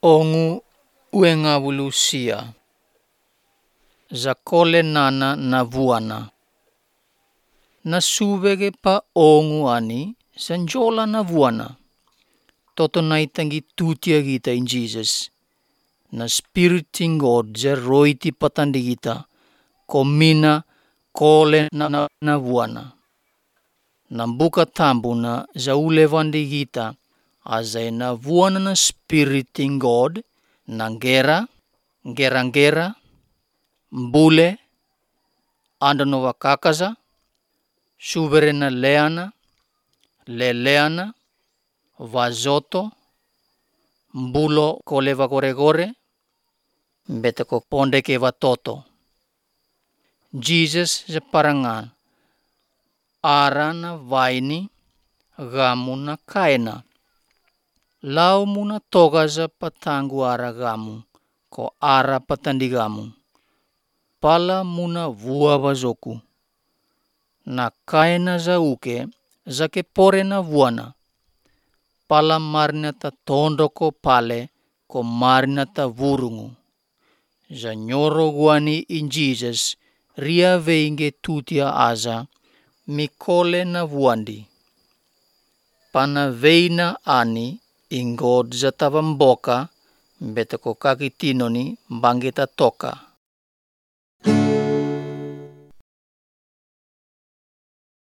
Ongu uengavulusia za kole nana na vuana. Na suvege pa ongu ani sanjola na vuana. Toto naitangi tutia kita in Jesus. Na spiriting God za roiti patandi kita. Komina kole na vuana. Nambuka tambuna za ulevandi kita. Azai na vuana na spiriting God. Nangera, ngera, mbule, andano wakakaza, suverena leana, leleana, vazoto, mbulo koleva gore, betako ponde ke watoto. Jesus sa parangan, arana vaini, gamu na kaina. Lau muna toga za patangu ara gamu, ko ara patandigamu. Pala muna vua vazoku. Na kaina za uke, za ke pore na vuana. Pala marina ta tondo ko pale, ko marina ta vurungu. Za nyoro guani in Jesus, ria veinge tutia aza, mikole na vuandi. Pana veina ani, ingod za tavamboka, betako kakitinoni bangita toka.